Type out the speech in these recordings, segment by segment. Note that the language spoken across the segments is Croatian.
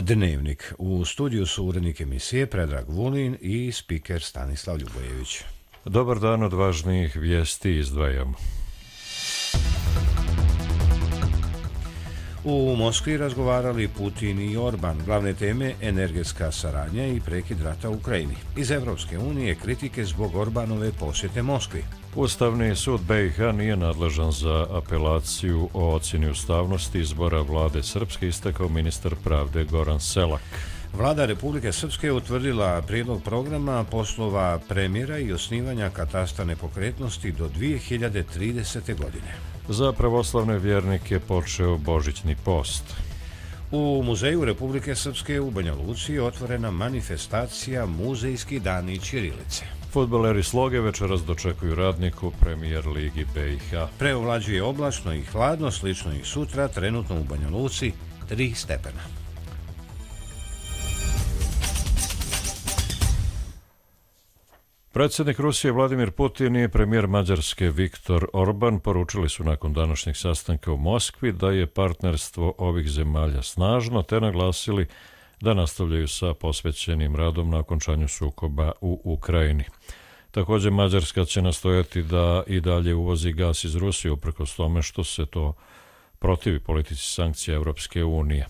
Dnevnik. U studiju su urednik emisije Predrag Vulin i spiker Stanislav Ljubojević. Dobar dan, od važnijih vijesti izdvajamo. U Moskvi razgovarali Putin i Orban. Glavne teme energetska saradnja i prekid rata u Ukrajini. Iz Evropske unije kritike zbog Orbanove posjete Moskvi. Ustavni sud BiH nije nadležan za apelaciju o ocjeni ustavnosti izbora vlade Srpske, istakao ministar pravde Goran Selak. Vlada Republike Srpske utvrdila prijedlog programa poslova premijera i osnivanja katastra nepokretnosti do 2030. godine. Za pravoslavne vjernike počeo božićni post. U Muzeju Republike Srpske u Banja Luci je otvorena manifestacija Muzejski dani ćirilice. Fudbaleri Sloge večeras dočekuju Radniku Premijer Ligi BiH. Preovlađuje oblačno i hladno, slično i sutra, trenutno u Banja Luci 3 stepena. Predsjednik Rusije Vladimir Putin i premijer Mađarske Viktor Orban poručili su nakon današnjeg sastanka u Moskvi da je partnerstvo ovih zemalja snažno, te naglasili da nastavljaju sa posvećenim radom na okončanju sukoba u Ukrajini. Također Mađarska će nastojati da i dalje uvozi gas iz Rusije, uprkos tome što se to protivi politici sankcija Europske unije.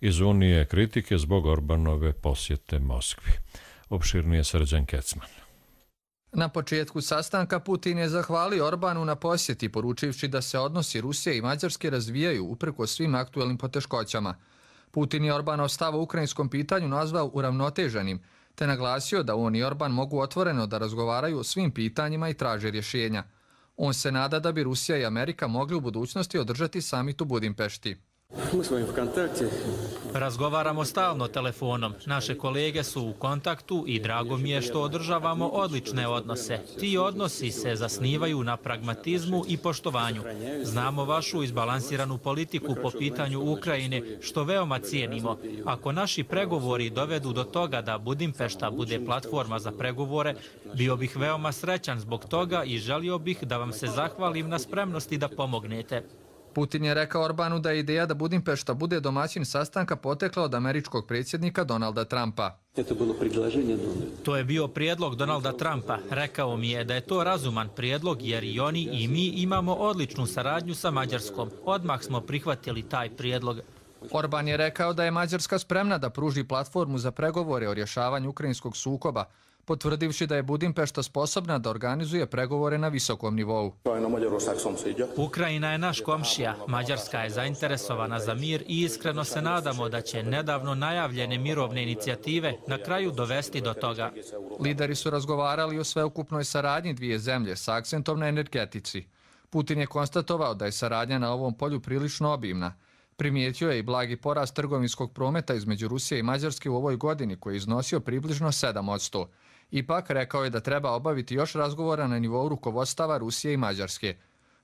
Iz Unije kritike zbog Orbanove posjete Moskvi. Opširnije Srđan Kecman. Na početku sastanka Putin je zahvalio Orbanu na posjeti, poručivši da se odnosi Rusije i Mađarske razvijaju uprkos svim aktuelnim poteškoćama. Putin je Orbanov stav o ukrajinskom pitanju nazvao uravnoteženim, te naglasio da on i Orban mogu otvoreno da razgovaraju o svim pitanjima i traže rješenja. On se nada da bi Rusija i Amerika mogli u budućnosti održati samit u Budimpešti. Razgovaramo stalno telefonom. Naše kolege su u kontaktu i drago mi je što održavamo odlične odnose. Ti odnosi se zasnivaju na pragmatizmu i poštovanju. Znamo vašu izbalansiranu politiku po pitanju Ukrajine, što veoma cijenimo. Ako naši pregovori dovedu do toga da Budimpešta bude platforma za pregovore, bio bih veoma srećan zbog toga i želio bih da vam se zahvalim na spremnosti da pomognete. Putin je rekao Orbanu da je ideja da Budimpešta bude domaćin sastanka potekla od američkog predsjednika Donalda Trumpa. To je bio prijedlog Donalda Trumpa. Rekao mi je da je to razuman prijedlog jer i oni i mi imamo odličnu saradnju sa Mađarskom. Odmah smo prihvatili taj prijedlog. Orban je rekao da je Mađarska spremna da pruži platformu za pregovore o rješavanju ukrajinskog sukoba, potvrdivši da je Budimpešta sposobna da organizuje pregovore na visokom nivou. Ukrajina je naš komšija, Mađarska je zainteresovana za mir i iskreno se nadamo da će nedavno najavljene mirovne inicijative na kraju dovesti do toga. Lideri su razgovarali o sveukupnoj saradnji dvije zemlje sa akcentom na energetici. Putin je konstatovao da je saradnja na ovom polju prilično obimna. Primijetio je i blagi porast trgovinskog prometa između Rusije i Mađarske u ovoj godini, koji je iznosio približno 7%. Ipak rekao je da treba obaviti još razgovora na nivou rukovodstava Rusije i Mađarske.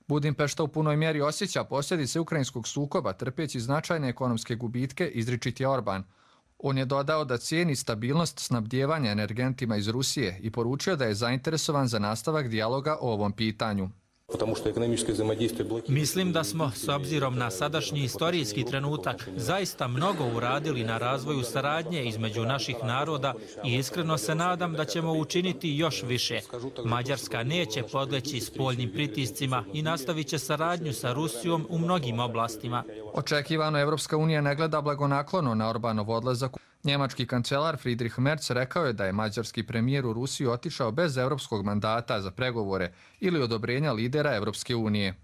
Budimpešta u punoj mjeri osjeća posljedice ukrajinskog sukoba, trpeći značajne ekonomske gubitke, izričit je Orban. On je dodao da cijeni stabilnost snabdijevanja energentima iz Rusije i poručio da je zainteresovan za nastavak dijaloga o ovom pitanju. Mislim da smo, s obzirom na sadašnji istorijski trenutak, zaista mnogo uradili na razvoju saradnje između naših naroda i iskreno se nadam da ćemo učiniti još više. Mađarska neće podleći spoljnim pritiscima i nastavit će saradnju sa Rusijom u mnogim oblastima. Očekivano Evropska unija ne gleda blagonaklono na Orbanov odlazak. Njemački kancelar Friedrich Merz rekao je da je mađarski premijer u Rusiju otišao bez evropskog mandata za pregovore ili odobrenja lidera Evropske unije.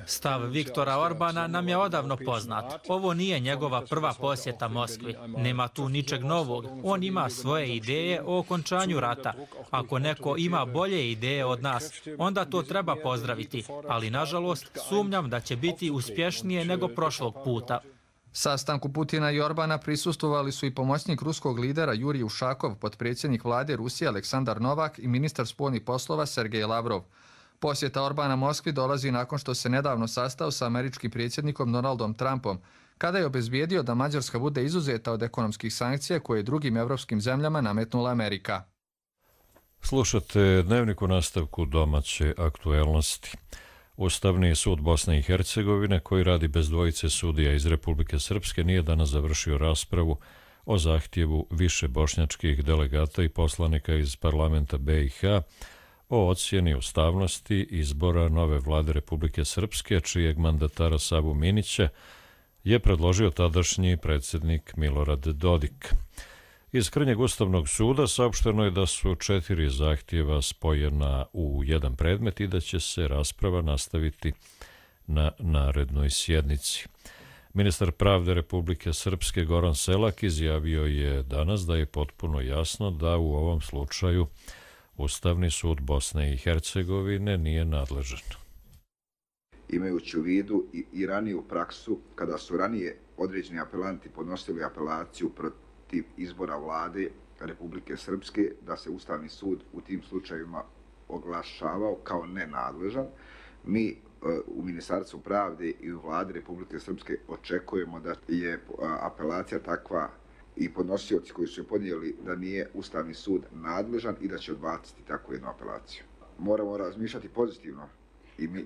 Stav Viktora Orbana nam je odavno poznat. Ovo nije njegova prva posjeta Moskvi. Nema tu ničeg novog. On ima svoje ideje o okončanju rata. Ako neko ima bolje ideje od nas, onda to treba pozdraviti. Ali, nažalost, sumnjam da će biti uspješnije nego prošlog puta. Sastanku Putina i Orbana prisustvovali su i pomoćnik ruskog lidera Jurij Ušakov, potpredsjednik vlade Rusije Aleksandar Novak i ministar spoljnih poslova Sergej Lavrov. Posjeta Orbana Moskvi dolazi nakon što se nedavno sastao sa američkim predsjednikom Donaldom Trumpom, kada je obezbijedio da Mađarska bude izuzeta od ekonomskih sankcija koje je drugim evropskim zemljama nametnula Amerika. Slušate Dnevnik u nastavku domaće aktuelnosti. Ustavni sud Bosne i Hercegovine, koji radi bez dvojice sudija iz Republike Srpske, nije danas završio raspravu o zahtjevu više bošnjačkih delegata i poslanika iz parlamenta BiH o ocjeni ustavnosti izbora nove vlade Republike Srpske, čijeg mandatara Savu Minića je predložio tadašnji predsjednik Milorad Dodik. Iz krnjeg Ustavnog suda saopšteno je da su 4 zahtjeva spojena u jedan predmet i da će se rasprava nastaviti na narednoj sjednici. Ministar pravde Republike Srpske Goran Selak izjavio je danas da je potpuno jasno da u ovom slučaju Ustavni sud Bosne i Hercegovine nije nadležan. Imajući u vidu i raniju praksu, kada su ranije određeni apelanti podnosili apelaciju protiv izbora vlade Republike Srpske, da se Ustavni sud u tim slučajevima oglašavao kao nenadležan, mi u Ministarstvu pravde i u vladi Republike Srpske očekujemo da je apelacija takva i podnosioci koji su je podnijeli da nije Ustavni sud nadležan i da će odbaciti takvu jednu apelaciju. Moramo razmišljati pozitivno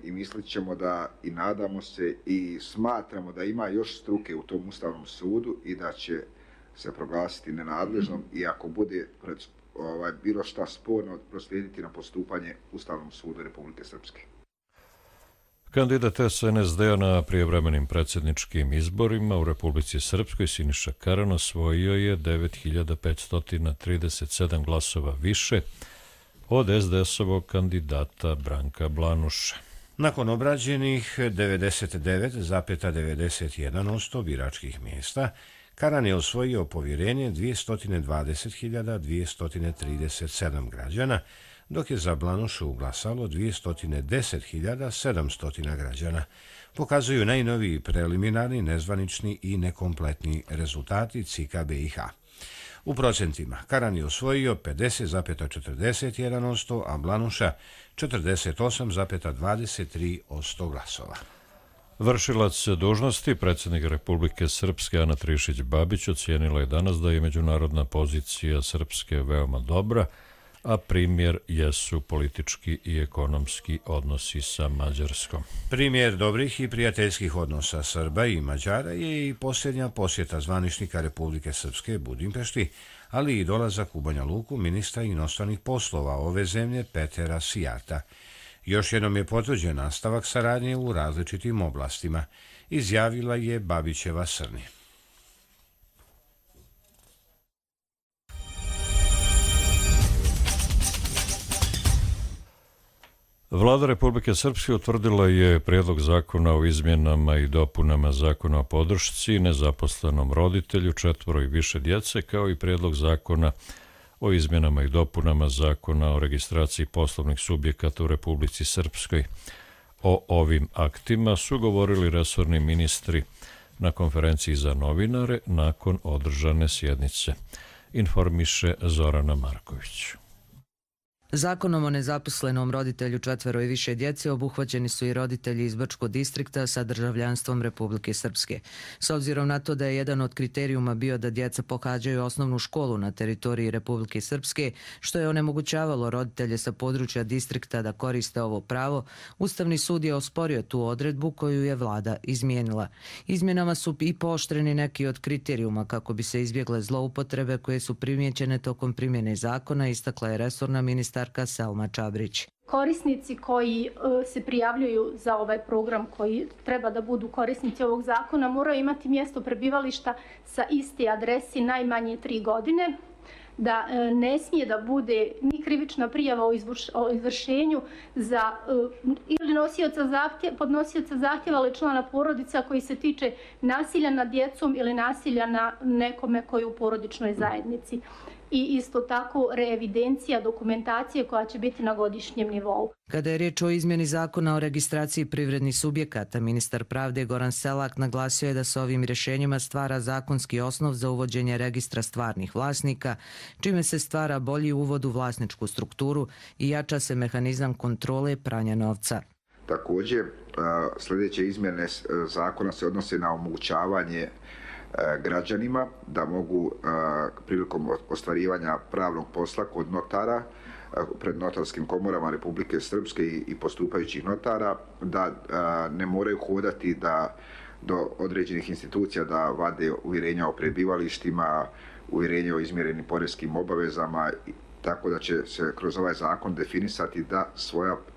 i mislit ćemo da i nadamo se i smatramo da ima još struke u tom Ustavnom sudu i da će se proglasiti nenadležnom i ako bude bilo šta sporno proslijediti na postupanje Ustavnom sudu Republike Srpske. Kandidat SNSD-a na prijevremenim predsjedničkim izborima u Republici Srpskoj Siniša Karan osvojio je 9537 glasova više od SDS-ovog kandidata Branka Blanuša. Nakon obrađenih 99,91% biračkih mjesta, Karan je osvojio povjerenje 220.237 građana, dok je za Blanušu glasalo 210.700 građana. Pokazuju najnoviji preliminarni, nezvanični i nekompletni rezultati CIK BiH. U procentima Karan je osvojio 50,41%, a Blanuša 48,23% glasova. Vršilac dužnosti predsjednika Republike Srpske Ana Trišić Babić ocijenila je danas da je međunarodna pozicija Srpske veoma dobra, a primjer jesu politički i ekonomski odnosi sa Mađarskom. Primjer dobrih i prijateljskih odnosa Srba i Mađara je i posljednja posjeta zvaničnika Republike Srpske Budimpešti, ali i dolazak u Banja Luku ministra inostranih poslova ove zemlje Petera Sijata. Još jednom je potvrđen nastavak saradnje u različitim oblastima, izjavila je Babićeva Srni. Vlada Republike Srpske utvrdila je prijedlog zakona o izmjenama i dopunama zakona o podršci nezaposlenom roditelju 4 i više djece, kao i prijedlog zakona o izmjenama i dopunama zakona o registraciji poslovnih subjekata u Republici Srpskoj. O ovim aktima su govorili resorni ministri na konferenciji za novinare nakon održane sjednice, informiše Zorana Marković. Zakonom o nezaposlenom roditelju 4 i više djece obuhvaćeni su i roditelji iz Brčkog distrikta sa državljanstvom Republike Srpske. S obzirom na to da je jedan od kriterijuma bio da djeca pohađaju osnovnu školu na teritoriji Republike Srpske, što je onemogućavalo roditelje sa područja distrikta da koriste ovo pravo, Ustavni sud je osporio tu odredbu koju je vlada izmijenila. Izmjenama su i pooštreni neki od kriterijuma kako bi se izbjegle zloupotrebe koje su primijećene tokom primjene zakona, istakla je resorna ministarka Selma Čabrić. Korisnici koji se prijavljuju za ovaj program, koji treba da budu korisnici ovog zakona, moraju imati mjesto prebivališta sa iste adresi najmanje 3 godine, da ne smije da bude ni krivična prijava o izvršenju za ili podnosioca zahtjeva ili člana porodica koji se tiče nasilja nad djecom ili nasilja na nekome koji je u porodičnoj zajednici. I isto tako reevidencija dokumentacije koja će biti na godišnjem nivou. Kada je riječ o izmjeni zakona o registraciji privrednih subjekata, ministar pravde Goran Selak naglasio je da se ovim rješenjima stvara zakonski osnov za uvođenje registra stvarnih vlasnika, čime se stvara bolji uvod u vlasničku strukturu i jača se mehanizam kontrole pranja novca. Također, sljedeće izmjene zakona se odnose na omogućavanje građanima da mogu prilikom ostvarivanja pravnog posla kod notara pred notarskim komorama Republike Srpske i postupajućih notara da ne moraju hodati do određenih institucija da vade uvjerenja o prebivalištima, uvjerenje o izmjerenim poreskim obavezama, tako da će se kroz ovaj zakon definisati da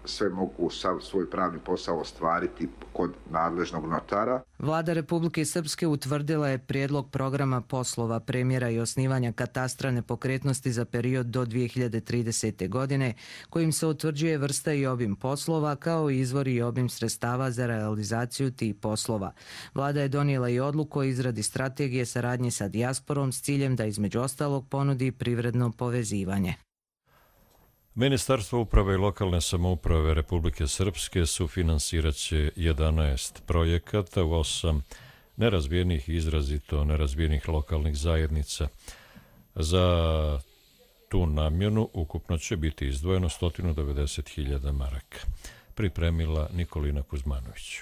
sve mogu svoj pravni posao ostvariti kod nadležnog notara. Vlada Republike Srpske utvrdila je prijedlog programa poslova, premjera i osnivanja katastra nepokretnosti za period do 2030. godine, kojim se utvrđuje vrsta i obim poslova kao i izvor i obim sredstava za realizaciju tih poslova. Vlada je donijela i odluku o izradi strategije saradnje sa dijasporom s ciljem da između ostalog ponudi privredno povezivanje. Ministarstvo uprave i lokalne samouprave Republike Srpske sufinansirat će 11 projekata u 8 nerazvijenih i izrazito nerazvijenih lokalnih zajednica. Za tu namjenu ukupno će biti izdvojeno 190.000 maraka. Pripremila Nikolina Kuzmanović.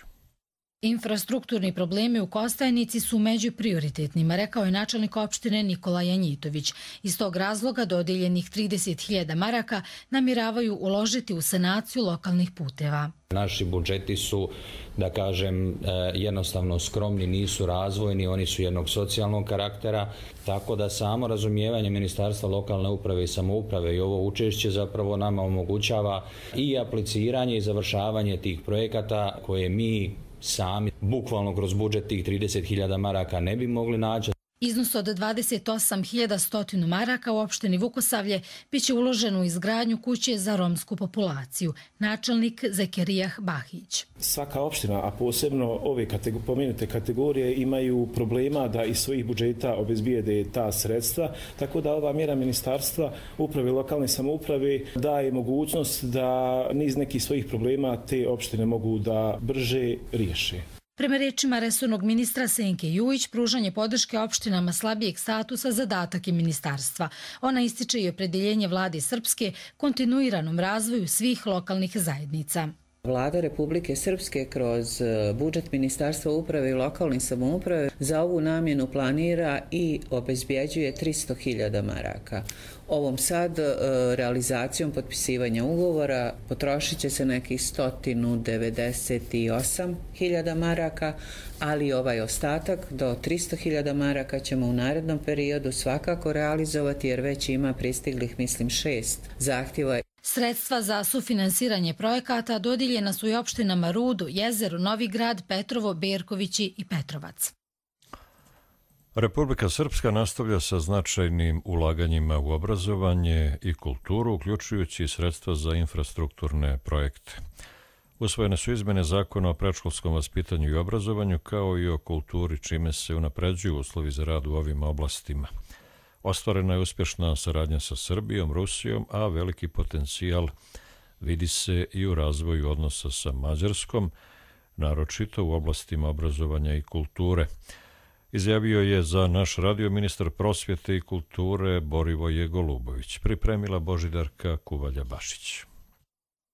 Infrastrukturni problemi u Kostajnici su među prioritetnima, rekao je načelnik opštine Nikola Janjitović. Iz tog razloga dodijeljenih 30.000 maraka namjeravaju uložiti u sanaciju lokalnih puteva. Naši budžeti su, da kažem, jednostavno skromni, nisu razvojni, oni su jednog socijalnog karaktera, tako da samo razumijevanje Ministarstva lokalne uprave i samouprave i ovo učešće zapravo nama omogućava i apliciranje i završavanje tih projekata koje mi sami, bukvalno kroz budžet tih 30.000 maraka ne bi mogli naći. Iznos od 28.100 maraka u opštini Vukosavlje biće uložen u izgradnju kuće za romsku populaciju. Načelnik Zekerijah Bahić. Svaka opština, a posebno ove pomenute kategorije, imaju problema da iz svojih budžeta obezbijede ta sredstva, tako da ova mjera Ministarstva uprave i lokalne samouprave daje mogućnost da niz nekih svojih problema te opštine mogu da brže riješe. Prema rečima resornog ministra Senke Jujić, pružanje podrške opštinama slabijeg statusa zadatak je ministarstva. Ona ističe i opredjeljenje vlade Srpske kontinuiranom razvoju svih lokalnih zajednica. Vlada Republike Srpske kroz budžet Ministarstva uprave i lokalne samouprave za ovu namjenu planira i obezbjeđuje 300.000 maraka. Ovom sad realizacijom potpisivanja ugovora potrošit će se nekih 198.000 maraka, ali ovaj ostatak do 300.000 maraka ćemo u narednom periodu svakako realizovati jer već ima pristiglih, mislim, 6 zahtjeva. Sredstva za sufinansiranje projekata dodijeljena su i opštinama Rudo, Jezero, Novi Grad, Petrovo, Berkovići i Petrovac. Republika Srpska nastavlja sa značajnim ulaganjima u obrazovanje i kulturu, uključujući sredstva za infrastrukturne projekte. Usvojene su izmjene zakona o predškolskom vaspitanju i obrazovanju, kao i o kulturi, čime se unapređuju uslovi za rad u ovim oblastima. Ostvarena je uspješna saradnja sa Srbijom, Rusijom, a veliki potencijal vidi se i u razvoju odnosa sa Mađarskom, naročito u oblastima obrazovanja i kulture. Izjavio je za naš radio ministar prosvjete i kulture Borivoje Golubović. Pripremila Božidarka Kuvalja-Bašić.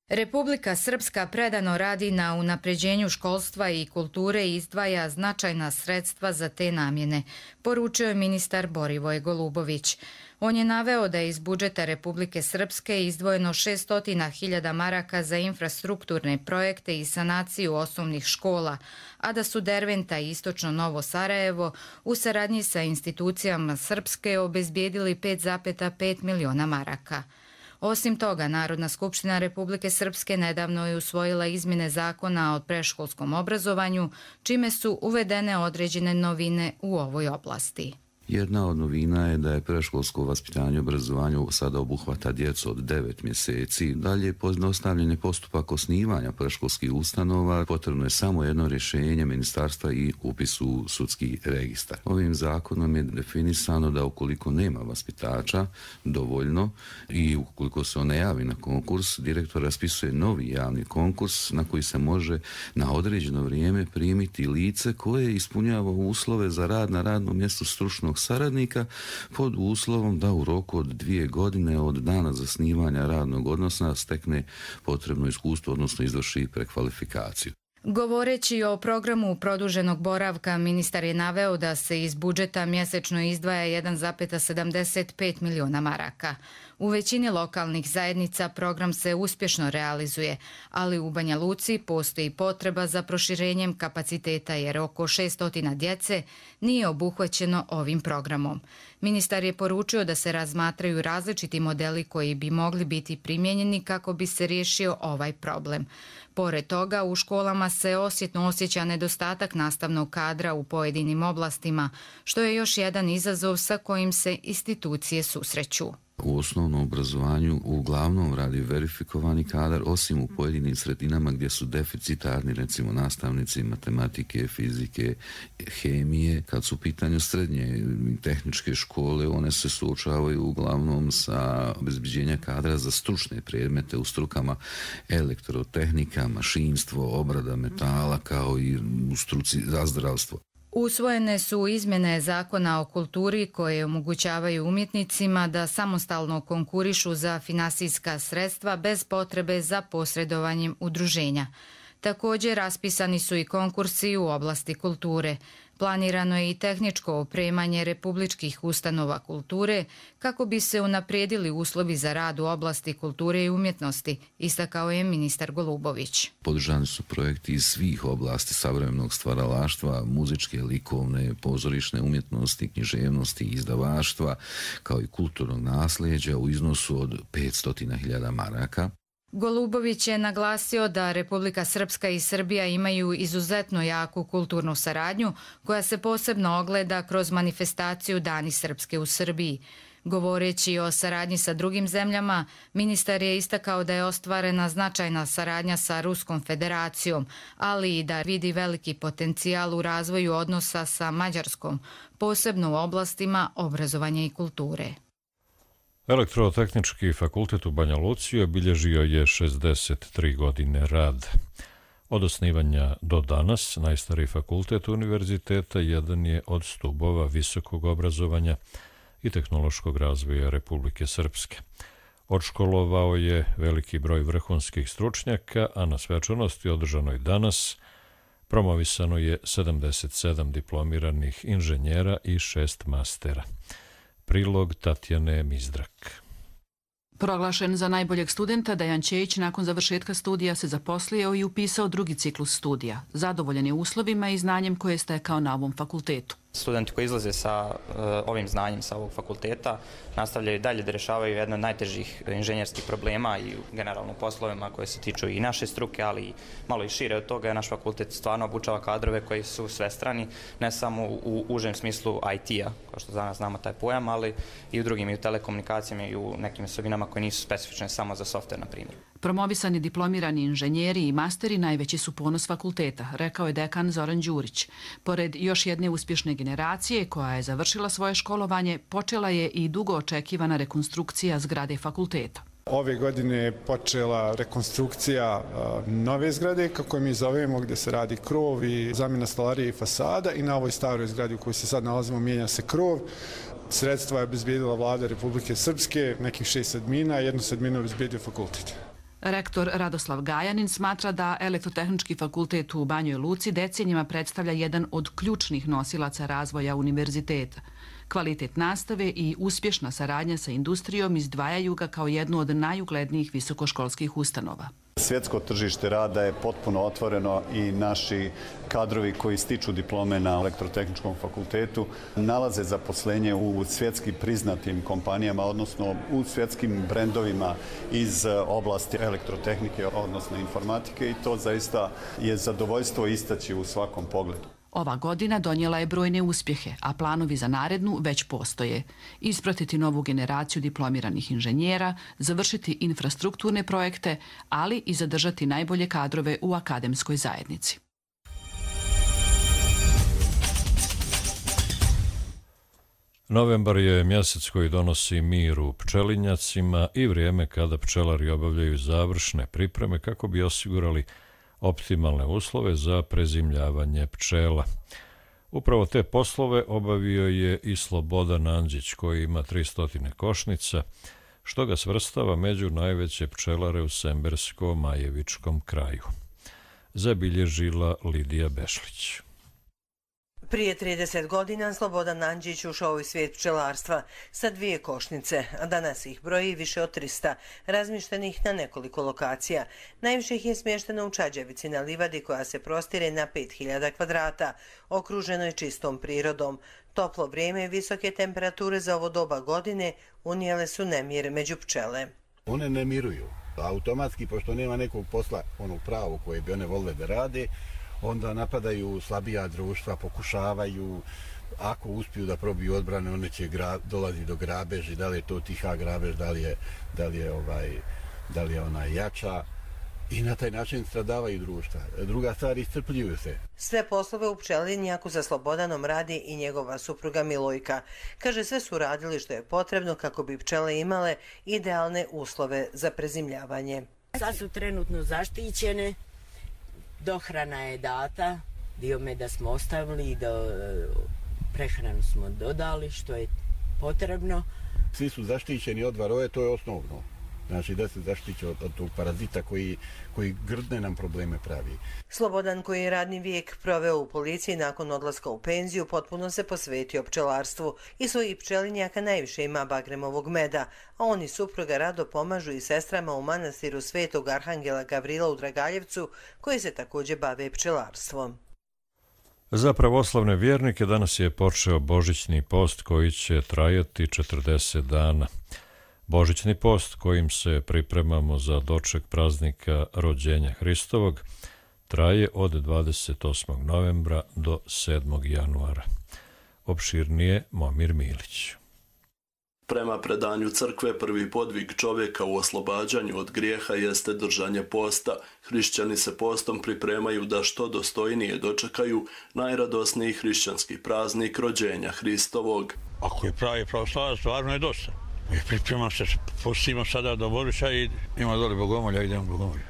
Republika Srpska predano radi na unapređenju školstva i kulture i izdvaja značajna sredstva za te namjene, poručio je ministar Borivoje Golubović. On je naveo da je iz budžeta Republike Srpske izdvojeno 600.000 maraka za infrastrukturne projekte i sanaciju osnovnih škola, a da su Derventa i Istočno Novo Sarajevo u saradnji sa institucijama Srpske obezbijedili 5,5 miliona maraka. Osim toga, Narodna skupština Republike Srpske nedavno je usvojila izmjene zakona o predškolskom obrazovanju, čime su uvedene određene novine u ovoj oblasti. Jedna od novina je da je predškolsko vaspitanje i obrazovanje sada obuhvata djecu od 9 mjeseci. Dalje, pojednostavljen je postupak osnivanja predškolskih ustanova. Potrebno je samo jedno rješenje ministarstva i upis u sudski registar. Ovim zakonom je definisano da ukoliko nema vaspitača dovoljno i ukoliko se on ne javi na konkurs, direktor raspisuje novi javni konkurs na koji se može na određeno vrijeme primiti lice koje ispunjava uslove za rad na radnom mjestu stručnog saradnika pod uslovom da u roku od 2 godine od dana zasnivanja radnog odnosa stekne potrebno iskustvo, odnosno izvrši prekvalifikaciju. Govoreći o programu produženog boravka, ministar je naveo da se iz budžeta mjesečno izdvaja 1,75 miliona maraka. U većini lokalnih zajednica program se uspješno realizuje, ali u Banja Luci postoji potreba za proširenjem kapaciteta jer oko 600 djece nije obuhvaćeno ovim programom. Ministar je poručio da se razmatraju različiti modeli koji bi mogli biti primijenjeni kako bi se riješio ovaj problem. Pored toga, u školama se osjetno osjeća nedostatak nastavnog kadra u pojedinim oblastima, što je još jedan izazov sa kojim se institucije susreću. U osnovnom obrazovanju uglavnom radi verifikovani kadar, osim u pojedinim sredinama gdje su deficitarni, recimo nastavnici matematike, fizike, hemije. Kad su u pitanju srednje tehničke škole, one se suočavaju uglavnom sa obezbeđenja kadra za stručne predmete u strukama elektrotehnika, mašinstvo, obrada metala, kao i u struci za zdravstvo. Usvojene su izmjene Zakona o kulturi koje omogućavaju umjetnicima da samostalno konkurišu za finansijska sredstva bez potrebe za posredovanjem udruženja. Također raspisani su i konkursi u oblasti kulture. Planirano je i tehničko opremanje republičkih ustanova kulture kako bi se unaprijedili uslovi za rad u oblasti kulture i umjetnosti, istakao je ministar Golubović. Podržani su projekti iz svih oblasti savremenog stvaralaštva, muzičke, likovne, pozorišne umjetnosti, književnosti, izdavaštva, kao i kulturnog nasljeđa u iznosu od 500.000 maraka. Golubović je naglasio da Republika Srpska i Srbija imaju izuzetno jaku kulturnu saradnju koja se posebno ogleda kroz manifestaciju Dani Srpske u Srbiji. Govoreći o saradnji sa drugim zemljama, ministar je istakao da je ostvarena značajna saradnja sa Ruskom federacijom, ali i da vidi veliki potencijal u razvoju odnosa sa Mađarskom, posebno u oblastima obrazovanja i kulture. Elektrotehnički fakultet u Banja Luci obilježio je 63 godine rad. Od osnivanja do danas, najstariji fakultet univerziteta jedan je od stubova visokog obrazovanja i tehnološkog razvoja Republike Srpske. Odškolovao je veliki broj vrhunskih stručnjaka, a na svečanosti održanoj danas promovisano je 77 diplomiranih inženjera i 6 mastera. Prilog Tatjane Mizdrak. Proglašen za najboljeg studenta, Dejan Ćejić nakon završetka studija se zaposlio i upisao drugi ciklus studija. Zadovoljan je uslovima i znanjem koje je stekao na ovom fakultetu. Studenti koji izlaze sa ovim znanjem sa ovog fakulteta nastavljaju dalje da rješavaju jedno od najtežih inženjerskih problema i generalno poslovima koje se tiču i naše struke, ali i malo i šire od toga. Naš fakultet stvarno obučava kadrove koji su svestrani, ne samo u užem smislu IT-a, kao što danas znamo taj pojam, ali i u drugim, i u telekomunikacijama i u nekim osobinama koje nisu specifične samo za softver, na primjer. Promovisani diplomirani inženjeri i masteri najveći su ponos fakulteta, rekao je dekan Zoran Đurić. Pored još jedne uspješne generacije koja je završila svoje školovanje, počela je i dugo očekivana rekonstrukcija zgrade fakulteta. Ove godine je počela rekonstrukcija nove zgrade, kako je mi zovemo, gdje se radi krov i zamjena stolarije i fasada, i na ovoj staroj zgradi u kojoj se sad nalazimo mijenja se krov. Sredstva je obezbijedila vlada Republike Srpske, nekih 6 sedmina, 1 sedminu je obezbijedio fakultet. Rektor Radoslav Gajanin smatra da Elektrotehnički fakultet u Banjoj Luci decenijima predstavlja jedan od ključnih nosilaca razvoja univerziteta. Kvalitet nastave i uspješna saradnja sa industrijom izdvajaju ga kao jednu od najuglednijih visokoškolskih ustanova. Svjetsko tržište rada je potpuno otvoreno i naši kadrovi koji stiču diplome na Elektrotehničkom fakultetu nalaze zaposlenje u svjetski priznatim kompanijama, odnosno u svjetskim brendovima iz oblasti elektrotehnike, odnosno informatike, i to zaista je zadovoljstvo istaći u svakom pogledu. Ova godina donijela je brojne uspjehe, a planovi za narednu već postoje. Ispratiti novu generaciju diplomiranih inženjera, završiti infrastrukturne projekte, ali i zadržati najbolje kadrove u akademskoj zajednici. Novembar je mjesec koji donosi mir u pčelinjacima i vrijeme kada pčelari obavljaju završne pripreme kako bi osigurali optimalne uslove za prezimljavanje pčela. Upravo te poslove obavio je i Slobodan Andžić, koji ima 300 košnica, što ga svrstava među najveće pčelare u Sembersko-Majevičkom kraju. zabilježila Lidija Bešlić. Prije 30 godina Slobodan Andžić ušao u svijet pčelarstva sa 2 košnice, a danas ih broji više od 300, razmištenih na nekoliko lokacija. Najviše ih je smješteno u Čađavici na livadi koja se prostire na 5000 kvadrata, okruženoj čistom prirodom. Toplo vrijeme i visoke temperature za ovo doba godine unijele su nemir među pčele. One ne miruju. Automatski, pošto nema nekog posla onog pravog koje bi one volile da rade, onda napadaju slabija društva, pokušavaju, ako uspiju da probiju odbrane, one će dolazi do grabeži, da li je to tiha grabež, da li je ona jača, i na taj način stradavaju društva. Druga stvar, iscrpljuju se. Sve poslove u pčelinjaku za Slobodanom radi i njegova supruga Milojka. Kaže, sve su radili što je potrebno kako bi pčele imale idealne uslove za prezimljavanje. Sad su trenutno zaštićene, dohrana je data, dio meda smo ostavili, prehranu smo dodali što je potrebno. Svi su zaštićeni od varoje, to je osnovno. Znači da se zaštiće od tog parazita koji grdne nam probleme pravi. Slobodan, koji je radni vijek proveo u policiji nakon odlaska u penziju, potpuno se posvetio pčelarstvu i svojih pčelinjaka najviše ima bagremovog meda, a oni supruga rado pomažu i sestrama u manastiru Svetog Arhangela Gavrila u Dragaljevcu, koji se također bave pčelarstvom. Za pravoslavne vjernike danas je počeo božićni post koji će trajati 40 dana. Božićni post kojim se pripremamo za doček praznika rođenja Hristovog traje od 28. novembra do 7. januara. Opširnije Momir Milić. Prema predanju crkve, prvi podvig čovjeka u oslobađanju od grijeha jeste držanje posta. Hrišćani se postom pripremaju da što dostojnije dočekaju najradosniji hrišćanski praznik rođenja Hristovog. Ako je pravi pravoslavac, stvarno je dosta. Pripremam se, postimo sada do Božića i ima dole bogomolja, idemo bogomolja.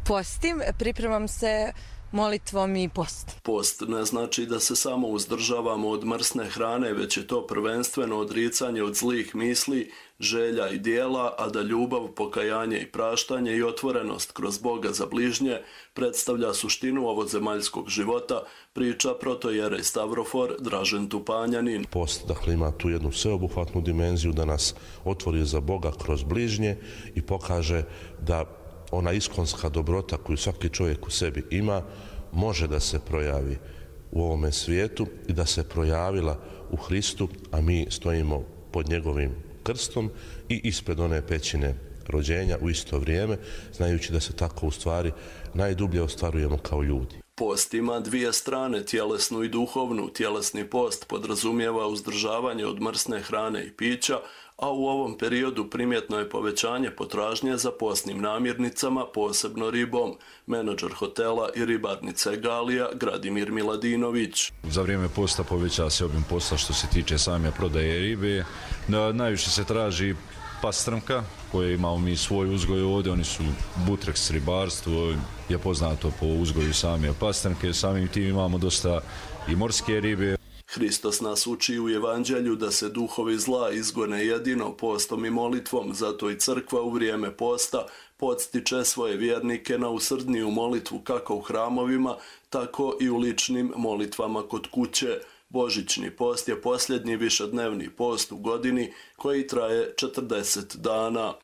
Postim, pripremam se molitvom i post. Post ne znači da se samo uzdržavamo od mrsne hrane, već je to prvenstveno odricanje od zlih misli, želja i dijela, a da ljubav, pokajanje i praštanje i otvorenost kroz Boga za bližnje predstavlja suštinu ovozemaljskog života, priča protojerej Stavrofor Dražen Tupanjanin. Post, dakle, ima tu jednu sveobuhvatnu dimenziju da nas otvori za Boga kroz bližnje i pokaže da ona iskonska dobrota koju svaki čovjek u sebi ima može da se projavi u ovome svijetu i da se projavila u Hristu, a mi stojimo pod njegovim krstom i ispred one pećine rođenja u isto vrijeme, znajući da se tako u stvari najdublje ostvarujemo kao ljudi. Post ima dvije strane, tjelesnu i duhovnu. Tjelesni post podrazumijeva uzdržavanje od mrsne hrane i pića, a u ovom periodu primjetno je povećanje potražnje za postnim namirnicama, posebno ribom. Menadžer hotela i ribarnice Galija, Gradimir Miladinović. Za vrijeme posta poveća se obim posla što se tiče same prodaje ribe. Najviše se traži pastrmka, koje imamo mi svoj uzgoj ovdje, oni su Butrex ribarstvo, je poznato po uzgoju same pastrmke, samim tim imamo dosta i morske ribe. Hristos nas uči u evanđelju da se duhovi zla izgone jedino postom i molitvom, zato i crkva u vrijeme posta podstiče svoje vjernike na usrdniju molitvu kako u hramovima, tako i u ličnim molitvama kod kuće. Božićni post je posljednji višednevni post u godini koji traje 40 dana.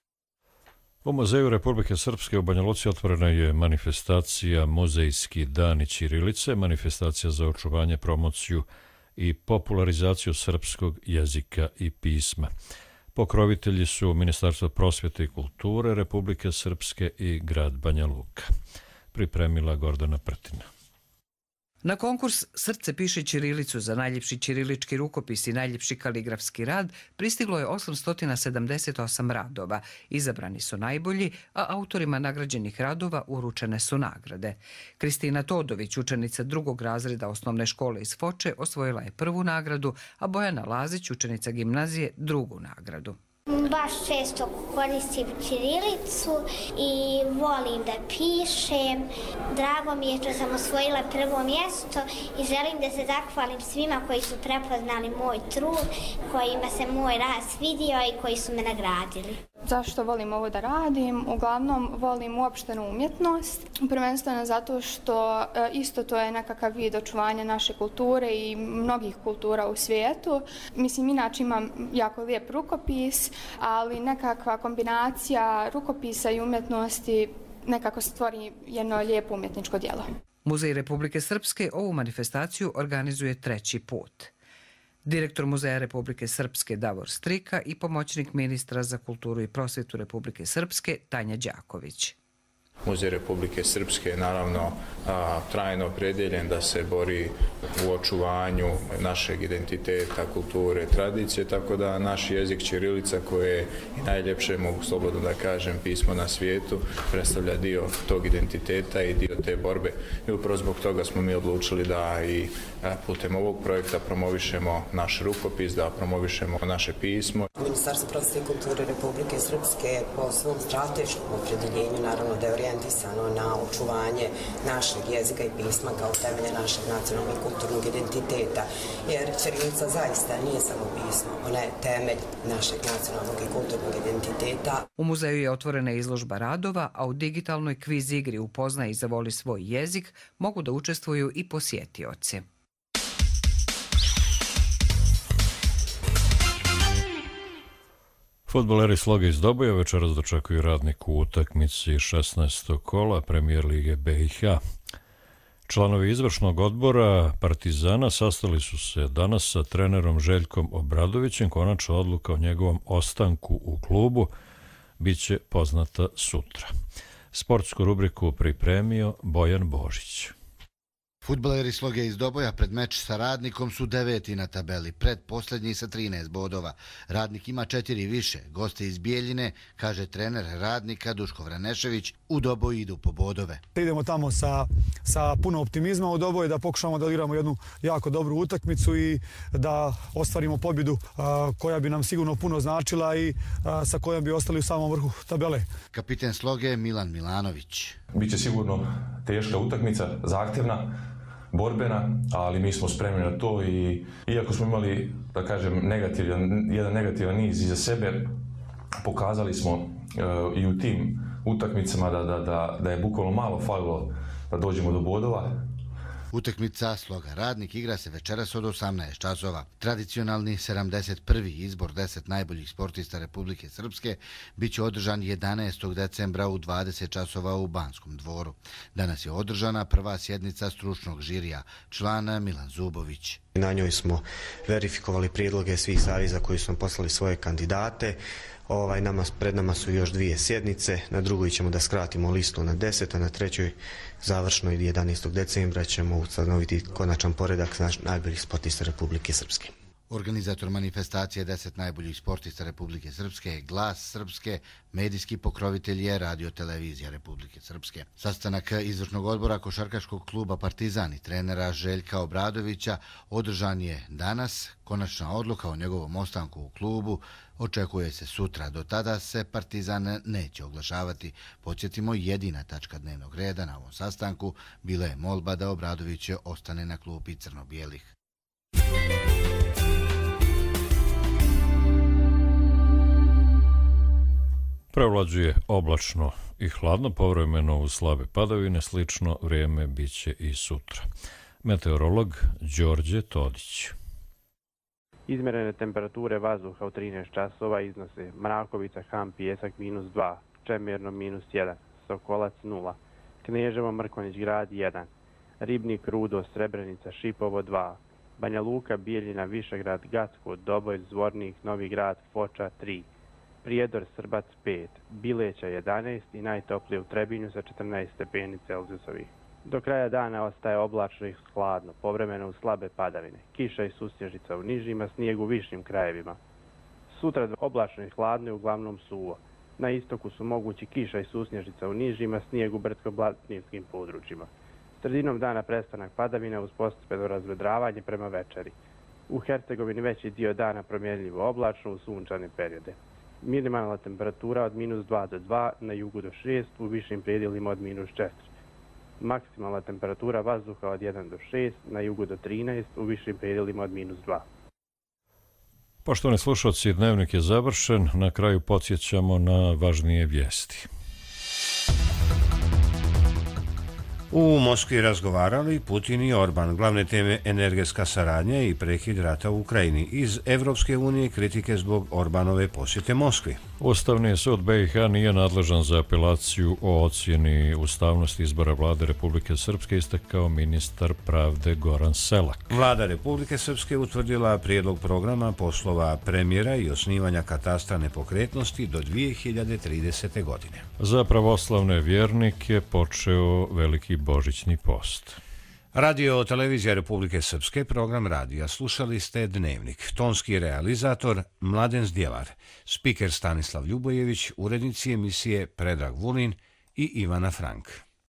U Muzeju Republike Srpske u Banja Luci otvorena je manifestacija Muzejski dani ćirilice, manifestacija za očuvanje, promociju i popularizaciju srpskog jezika i pisma. Pokrovitelji su Ministarstvo prosvjete i kulture Republike Srpske i grad Banja Luka. Pripremila Gordana Prtina. Na konkurs Srce piše ćirilicu za najljepši ćirilički rukopis i najljepši kaligrafski rad pristiglo je 878 radova. Izabrani su najbolji, a autorima nagrađenih radova uručene su nagrade. Kristina Todović, učenica 2. razreda osnovne škole iz Foče, osvojila je 1. nagradu, a Bojana Lazić, učenica gimnazije, 2. nagradu. Baš često koristim ćirilicu i volim da pišem. Drago mi je što sam osvojila 1. mjesto i želim da se zahvalim svima koji su prepoznali moj trud, kojima se moj rad svidio i koji su me nagradili. Zašto volim ovo da radim? Uglavnom volim uopštenu umjetnost, prvenstveno zato što isto to je nekakav vid očuvanja naše kulture i mnogih kultura u svijetu. Mislim, inače imam jako lijep rukopis, ali nekakva kombinacija rukopisa i umjetnosti nekako stvori jedno lijepo umjetničko djelo. Muzej Republike Srpske ovu manifestaciju organizuje 3. put. Direktor Muzeja Republike Srpske Davor Strika i pomoćnik ministra za kulturu i prosvjetu Republike Srpske Tanja Đaković. Muzej Republike Srpske je naravno trajno opredjeljen da se bori u očuvanju našeg identiteta, kulture, tradicije, tako da naš jezik ćirilica, koje je i najljepše, mogu slobodno da kažem, pismo na svijetu, predstavlja dio tog identiteta i dio te borbe. I upravo zbog toga smo mi odlučili da i putem ovog projekta promovišemo naš rukopis, da promovišemo naše pismo. Ministarstvo prosvjete i kulture Republike Srpske po svom strateškom opredjeljenju naravno da je orijentisano na očuvanje našeg jezika i pisma kao temelja našeg nacionalnog i kulturnog identiteta, jer ćirilica zaista nije samo pismo, ona je temelj našeg nacionalnog i kulturnog identiteta. U muzeju je otvorena izložba radova, a u digitalnoj kviz igri Upoznaj i zavoli svoj jezik mogu da učestvuju i posjetioci. Fudbaleri Sloge iz Doboja večeras dočekuju Radnik u utakmici 16. kola Premijer Lige BiH. Članovi izvršnog odbora Partizana sastali su se danas sa trenerom Željkom Obradovićem. Konačna odluka o njegovom ostanku u klubu biće poznata sutra. Sportsku rubriku pripremio Bojan Božić. Fudbaleri Sloge iz Doboja pred meč sa Radnikom su 9. na tabeli, predposlednji sa 13 bodova. Radnik ima 4 više. Goste iz Bijeljine, kaže trener Radnika Duško Vranešević, u Doboj idu po bodove. Idemo tamo sa puno optimizma u Doboj, da pokušamo da igramo jednu jako dobru utakmicu i da ostvarimo pobjedu koja bi nam sigurno puno značila i sa kojom bi ostali u samom vrhu tabele. Kapiten Sloge Milan Milanović. Biće sigurno teška utakmica, zahtjevna, borbena, ali mi smo spremni na to i iako smo imali, da kažem, jedan negativan niz iza sebe, pokazali smo i u tim utakmicama da je bukvalno malo falilo da dođemo do bodova. Utakmica Sloga Radnik igra se večeras od 18 časova. Tradicionalni 71. izbor 10 najboljih sportista Republike Srpske biće održan 11. decembra u 20 časova u Banskom dvoru. Danas je održana prva sjednica stručnog žirija, člana Milan Zubović. Na njoj smo verifikovali prijedloge svih saveza koji su nam poslali svoje kandidate. Pred nama su još 2 sjednice. Na drugoj ćemo da skratimo listu na 10, a na trećoj završnoj 11. decembra ćemo ustanoviti konačan poredak najboljih sportista Republike Srpske. Organizator manifestacije 10 najboljih sportista Republike Srpske je Glas Srpske, medijski pokrovitelj je Radio Televizija Republike Srpske. Sastanak izvršnog odbora košarkaškog kluba Partizan i trenera Željka Obradovića održan je danas. Konačna odluka o njegovom ostanku u klubu očekuje se sutra. Do tada se Partizan neće oglašavati. Podsjetimo, jedina tačka dnevnog reda na ovom sastanku bila je molba da Obradović ostane na klupi crno-bijelih. Prevlađuje oblačno i hladno, povremeno uz slabe padavine, slično vrijeme biće i sutra. Meteorolog Đorđe Todić. Izmjerene temperature vazduha u 13 časova iznose Mrakovica, Ham, Pijesak -2, Čemirno -1, Sokolac 0, Kneževo, Mrkonjić grad 1, Ribnik, Rudo, Srebrenica, Šipovo 2, Banja Luka, Bijeljina, Višegrad, Gacko, Doboj, Zvornik, Novi grad, Foča 3, Prijedor, Srbac 5, Bileća 11 i najtoplije u Trebinju sa 14 stepeni Celzijusovih. Do kraja dana ostaje oblačno i hladno, povremeno uz slabe padavine, kiša i susnježica u nižima, snijeg u višim krajevima. Sutra oblačno i hladno i uglavnom suvo. Na istoku su mogući kiša i susnježica u nižima, snijeg u brdsko-planinskim područjima. Sredinom dana prestanak padavina uz postepeno razvedravanje prema večeri. U Hercegovini veći dio dana promjenljivo oblačno u sunčane periode. Minimalna temperatura od -2 do 2, na jugu do 6, u višim predjelima od -4. Maksimalna temperatura vazduha od 1 do 6, na jugu do 13, u višim predjelima od -2. Poštovani slušalci, dnevnik je završen. Na kraju podsjećamo na važnije vijesti. U Moskvi razgovarali Putin i Orban, glavne teme energetska saradnja i prekid rata u Ukrajini. Iz Evropske unije kritike zbog Orbanove posjete Moskvi. Ustavni sud BiH nije nadležan za apelaciju o ocjeni ustavnosti izbora vlade Republike Srpske, istakao ministar pravde Goran Selak. Vlada Republike Srpske utvrdila prijedlog programa poslova premijera i osnivanja katastra nepokretnosti do 2030. godine. Za pravoslavne vjernike počeo veliki božićni post. Radio televizija Republike Srpske, program radija. Slušali ste Dnevnik. Tonski realizator Mladen Zdjelar, spiker Stanislav Ljubojević, urednici emisije Predrag Vulin i Ivana Frank.